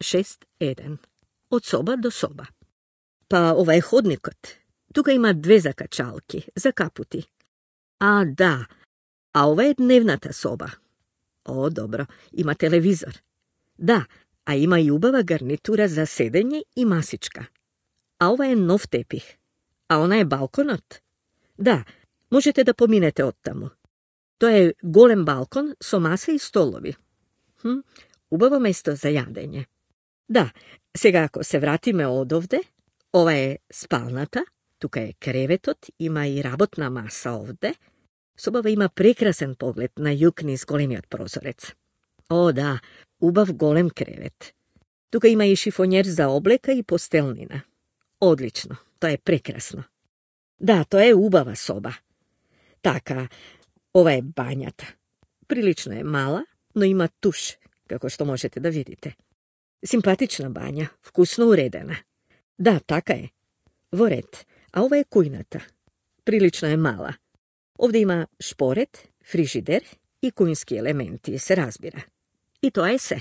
6.1. Од соба до соба. Па ова е ходникот. Тука има 2 закачалки, за капути. А, да. А ова е дневната соба. О, добро, има телевизор. Да, а има и убава гарнитура за седење и масичка. А ова е нов тепих. А она е балконот? Да, можете да поминете оттаму. Тоа е голем балкон со маса и столови. Убаво место за јадење. Да, сега ако се вратиме одовде, ова е спалната, тука е креветот, има и работна маса овде. Собава има прекрасен поглед на југ низ големиот прозорец. О, да, убав голем кревет. Тука има и шифонер за облека и постелнина. Одлично, тоа е прекрасно. Да, тоа е убава соба. Така, ова е бањата. Прилично е мала, но има туш, како што можете да видите. Симпатична бања, вкусно уредена. Да, така е. Во ред, а ова е кујната. Прилично е мала. Овде има шпорет, фрижидер и кујнски елементи, се разбира. И тоа е се.